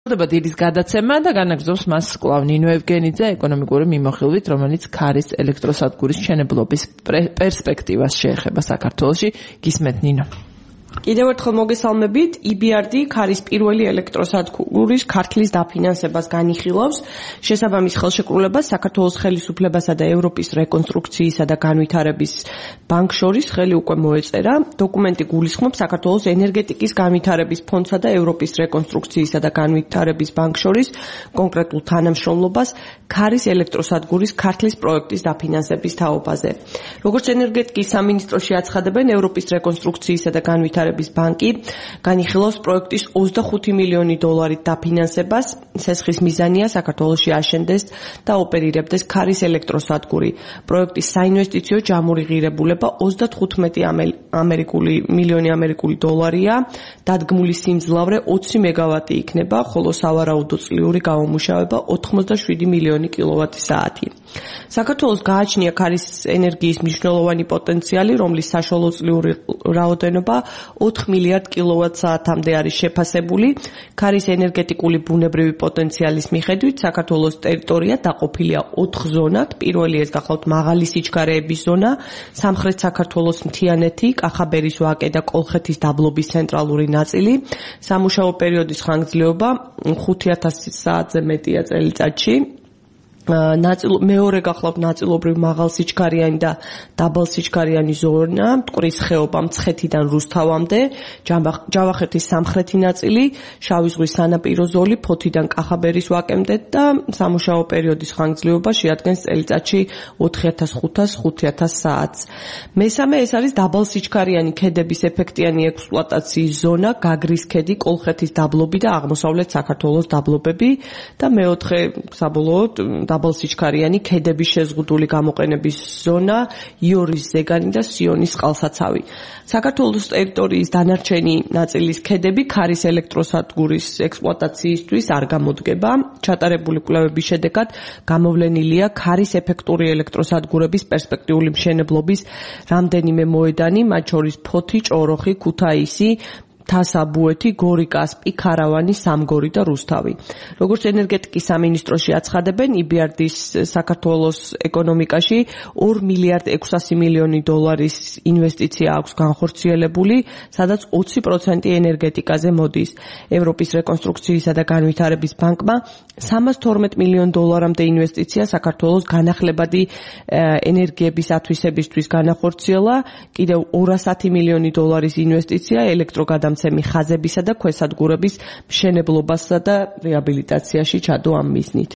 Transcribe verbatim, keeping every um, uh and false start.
დება დილის გადაცემა და განაგრძობს მას კვლავ ნინო ევგენიძე ეკონომიკური მიმოხილვით, რომელიც ქარის ელექტროსადგურის მშენებლობის პერსპექტივას შეეხება საქართველოში. გისმენთ ნინო. კიდევ ერთხელ მოგესალმებით. ი ბი არ დი ქარის პირველი ელექტროსადგურის ქართლის დაფინანსებას განიხილავს. შესაბამის ხელშეკრულებას საქართველოს ხელისუფლებასა და ევროპის რეკონსტრუქციისა და განვითარების ბანკ შორის ხელი უკვე მოეწერა. დოკუმენტი გულისხმობს საქართველოს ენერგეტიკის განვითარების ფონდსა და ევროპის რეკონსტრუქციისა და განვითარების ბანკ შორის კონკრეტულ თანამშრომლობას ქარის ელექტროსადგურის ქართლის პროექტის დაფინანსების თაობაზე. როგორც ენერგეტიკის სამინისტროში აცხადებენ, ევროპის რეკონსტრუქციისა და განვითარების ბანკი განიხილავს პროექტის ოცდახუთი მილიონი დოლარით დაფინანსებას. სესხის მიზანია საქართველოში აშენდეს და ოპერირებდეს ქარის ელექტროსადგური. პროექტის საინვესტიციო ჯამური ღირებულება ოცდათხუთმეტი ამერიკული მილიონი ამერიკული დოლარია. დადგმული სიმძლავრე ოცი მეგავატი იქნება, ხოლო სავარაუდო წლიური გამომუშავება ოთხმოცდაშვიდი მილიონი კილოვატი საათი. საქართველოს გააჩნია ქარის ენერგიის მნიშვნელოვანი პოტენციალი, რომლის საშუალო წლიური რაოდენობა ოთხ მილიარდ კილოვატ საათამდე არის შეფასებული. ქარის ენერგეტიკული ბუნებრივი პოტენციალის მიხედვით საქართველოს ტერიტორია დაყოფილია ოთხ ზონად. პირველი ეს გახლავთ მაღალი სიჩქარეების ზონა, სამხრეთ საქართველოს მთიანეთი, კახაბერის ვაკე და კოლხეთის დაბლობის ცენტრალური ნაწილი. სამუშაო პერიოდის ხანგრძლივობა ხუთი ათასი საათზე მეტია წელიწადში. ნაწილ მეორე გახლავთ ნაწილობრივ მაღალ სიჩქარიანი და დაბალ სიჩქარიანი ზონა, მტკვრის ხეობა მცხეთიდან რუსთავამდე, ჯავახეთის სამხრეთი ნაწილი, შავი ზღვის სანაპირო ზოლი, ფოთიდან კახაბერის ვაკემდე და სამუშაო პერიოდის ხანგრძლივობა შეადგენს წელიწადში ოთხი ათას ხუთას ხუთი ათას საათს. მესამე ეს არის დაბალ სიჩქარიანი ქედების ეფექტიანი ექსპლუატაციის ზონა, გაგრის ქედი, კოლხეთის დაბლობი და აღმოსავლეთ საქართველოს დაბლობები და მეოთხე საბოლოოდ დაბალ სიჩქარიანი ქედების შეზღუდული გამოყენების ზონა, იორის ზეგანი და სიონის წყალსაცავი. საქართველოს ტერიტორიის დანარჩენი ნაწილის ქედები ქარის ელექტროსადგურის ექსპლუატაციისთვის არ გამოდგება. ჩატარებული კვლევების შედეგად გამოვლენილია ქარის ეფექტური ელექტროსადგურების პერსპექტიული მშენებლობის რამდენიმე მოედანი, მათ შორის ფოთი, ჭოროხი, ქუთაისი, თასაბუეთი, გორი, კასპი, ქარავანი, სამგორი და რუსთავი. როგორც ენერგეტიკის სამინისტროში აცხადებენ, ი ბი არ დის საქართველოს ეკონომიკაში ორი მილიარდი ექვსასი მილიონი დოლარის ინვესტიცია აქვს განხორციელებული, სადაც ოცი პროცენტი ენერგეტიკაზე მოდის. ევროპის რეკონსტრუქციისა და განვითარების ბანკმა სამას თორმეტ მილიონ დოლარამდე ინვესტიცია საქართველოს განახლებადი ენერგიების ათვისებისთვის განახორციელა, კიდევ ორასათი მილიონი დოლარის ინვესტიცია ელექტროგადამცემი ხაზებისა და ქვესადგურების მშენებლობასა და რეაბილიტაციაში ჩადო ამ მიზნით.